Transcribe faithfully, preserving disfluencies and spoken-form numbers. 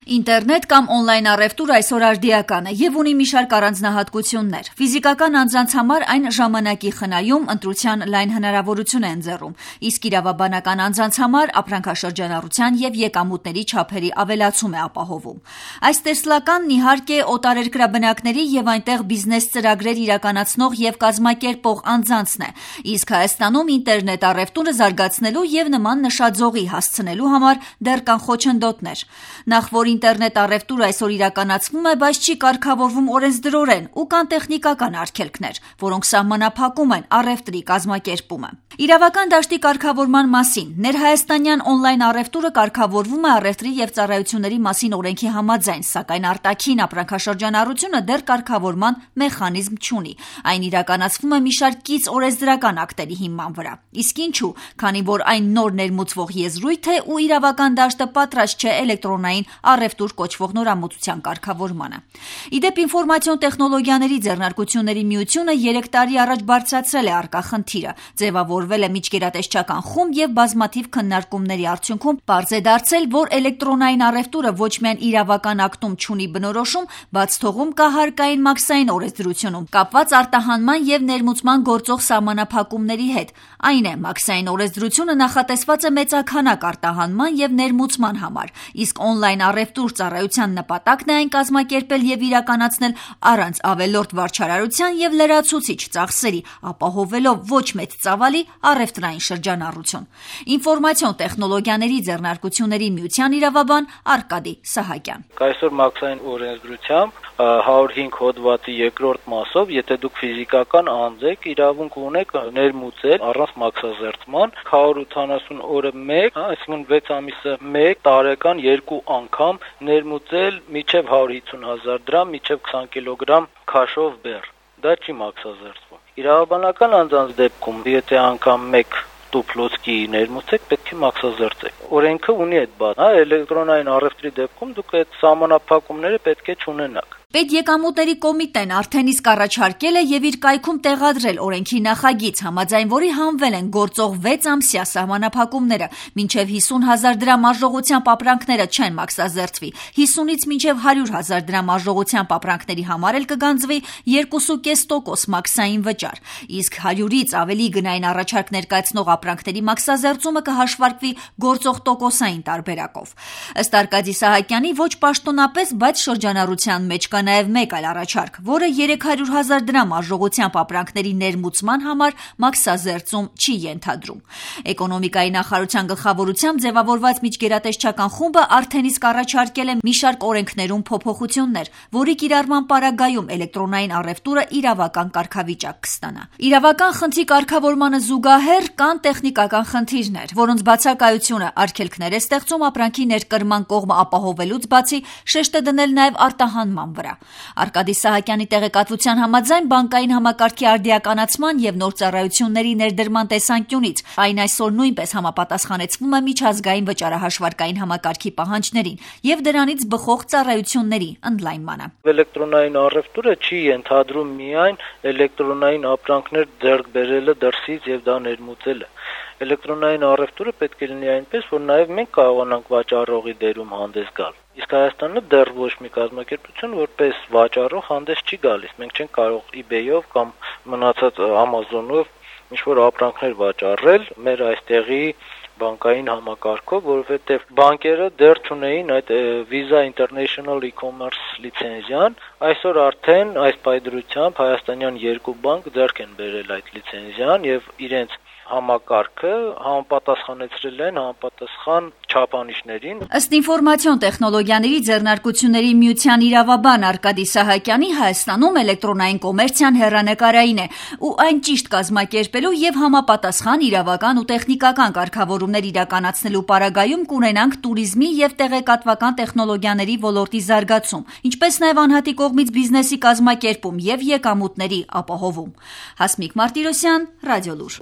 Ինտերնետ կամ օնլայն առևտուր այսօր արդիական է եւ ունի մի շարք առանձնահատկություններ։ Ֆիզիկական անձանց համար այն ժամանակի խնայում, ընտրության լայն հնարավորություն է ընձեռում, իսկ իրավաբանական անձանց համար ապրանքաշրջանառության եւ եկամուտների չափերի ավելացում է ապահովում։ Այս տեսլականն իհարկե օտարերկրաբնակների եւ այնտեղ բիզնես ծրագրեր իրականացնող եւ կազմակերպող անձանցն է, իսկ Հայաստանում ինտերնետ առևտուրը զարգացնելու եւ նման նշաձողի հասցնելու համար դեռ կան խոչընդոտներ։ Նախ որ ինտերնետ առևտուրը այսօր իրականացվում է, բայց չի կարգավորվում օրենսդրորեն ու կան տեխնիկական արգելքներ, որոնք սահմանափակում են առևտրի կազմակերպումը։ Իրավական դաշտի կարգավորման մասին ներհայաստանյան օնլայն առևտուրը կարգավորվում է առևտրի եւ ծառայությունների մասին օրենքի համաձայն, սակայն արտաքին ապրանքաշրջանառությունը դեռ կարգավորման մեխանիզմ չունի։ Այն իրականացվում է մի շարք կից օրենսդրական ակտերի հիման վրա։ Իսկ ինչու, քանի որ այն նոր ներմուծվող եզրույթ է ու իրավական դաշտը պատրաստ չէ էլեկտրոնային առևտուր կոչվող նորամուծության կարգավորմանը։ Իդեպ ինֆորմացիոն տեխնոլոգիաների ձեռնարկությունների միությունը երեք տարի առաջ բարձրացրել է առկա խնդիրը, ձևավորվել է միջգերատեսչական խումբ եւ բազմաթիվ քննարկումների արդյունքում պարզ է դարձել, որ էլեկտրոնային առևտուրը ոչ միայն իրավական ակտում չունի բնորոշում, բաց թողում կա հարկային մաքսային օրենսդրությունում կապված արտահանման եւ ներմուծման գործող սահմանափակումների հետ։ Այն է, մաքսային օրենսդրությունը նախատեսված է մեծաքանակ արտահանման եւ ներմուծման համար, իսկ օնլայն առևտուր ծառայության նպատակն է այն կազմակերպել եւ իրականացնել առանց ավելորդ վարչարարության եւ լրացուցիչ ծախսերի, ապահովելով ոչ մեծ ծավալի առևտրային շրջանառություն։ Ինֆորմացիոն տեխնոլոգիաների ձեռնարկությունների միության իրավաբան Արկադի Սահակյան։ Այսօր մաքսային օրենսդրությամբ հարյուր հինգ հոդվածի երկրորդ մասով, եթե դուք ֆիզիկական անձ եք, իրավունք ունեք ներմուծել առանց մաքսազերծման հարյուր ութանասուն օրը մեկ, այսինքն վեց ամիսը մեկ, տարեկան երկու անգամ ներմուծել միջև հարյուր հիսուն հազար դրամ, միջև քսան կիլոգրամ քաշով բեռ։ Դա չի մաքսազերծվում։ Իրավաբանական անձանց դեպքում, եթե անգամ մեկ դուպլոցկի ներմուծեք, պետք է մաքսազերծեք։ Օրենքը ունի այդ բանը, հա, էլեկտրոնային առևտրի դեպքում դուք այդ սահմանափակումները պետք է չունենաք։ Պետեկամուտների կոմիտեն արդեն իսկ առաջարկել է եւ իր կայքում տեղադրել օրենքի նախագիծ, համաձայն որի հանվել են գործող վեց ամսյա սահմանափակումները, մինչեւ հիսուն հազար դրամ արժողությամբ ապրանքները չեն մաքսազերծվի, հիսունից մինչեւ հարյուր հազար դրամ արժողությամբ ապրանքների համար էլ կգանձվի երկու կես տոկոս մաքսային վճար, իսկ հարյուրից ավելի գնային առաջարկ ներկայացնող ապրանքների մաքսազերծումը կհաշվարկվի գործող տոկոսային տարբերակով։ Ըստ Արկադի Սահակյանի ոչ պաշտոնապես, բայց շրջանառության մեջ կա նաև մեկ այլ առաջարկ, որը երեք հարյուր հազար դրամ արժողությամբ ապրանքների ներմուծման համար մաքսազերծում չի ենթադրում։ Էկոնոմիկայի նախարարության գլխավորությամբ ձևավորված միջգերատեսչական խումբը արդեն իսկ առաջարկել է մի շարք օրենքներում փոփոխություններ, որի կիրառման պարագայում էլեկտրոնային առևտուրը իրավական կարգավիճակ կստանա։ Իրավական խնդրի կարգավորմանը զուգահեռ կան տեխնիկական խնդիրներ, որոնց բացակայությունը արգելքներ է ստեղծում ապրանքի ներկրման կողմը ապահովելուց բացի շեշտ է դնել նաև արտահանման վրա։ Արկադի Սահակյանի տեղեկատվության համաձայն բանկային համակարգի արդիականացման եւ նոր ծառայությունների ներդրման տեսանկյունից այն այսօր նույնպես համապատասխանեցվում է միջազգային վճարահաշվարկային համակարգի պահանջներին եւ դրանից բխող ծառայությունների ընդլայնմանը։ Էլեկտրոնային առևտուրը չի ենթադրում միայն էլեկտրոնային ապրանքներ ձեռք բերելը դրսից եւ դա ներմուծելը։ Էլեկտրոնային առևտուրը պետք է լինի այնպես, որ նաև մենք կարողանանք վաճառողի դերում հանդես գալ։ Իսկ Հայաստանը դեռ ոչ մի կազմակերպություն որպես վաճառող հանդես չի գալիս։ Մենք չենք կարող eBay-ով կամ մնացած Amazon-ով ինչ-որ ապրանքներ վաճառել մեր այստեղի բանկային համակարգով, որովհետև բանկերը դեռ չունեին այդ Visa International E-commerce լիցենզիան, այսօր արդեն այս պայծրությամբ հայաստանյան երկու բանկ ձեռք են բերել այդ լիցենզիան եւ իրենց համակարգը համապատասխանեցրել են համապատասխան չափանիշներին։ Ըստ ինֆորմացիոն տեխնոլոգիաների ձեռնարկությունների միության իրավաբան Արկադի Սահակյանի Հայաստանում էլեկտրոնային կոմերցիան հեռանկարային է ու այն ճիշտ կազմակերպելու եւ համապատասխան իրավական ու տեխնիկական կարգավորումներ իրականացնելու պարագայում կունենանք տուրիզմի եւ տեղեկատվական տեխնոլոգիաների ոլորտի զարգացում, ինչպես նաեւ անհատի կողմից բիզնեսի կազմակերպում եւ եկամուտների ապահովում։ Հասմիկ Մարտիրոսյան, Ռադիոլուր։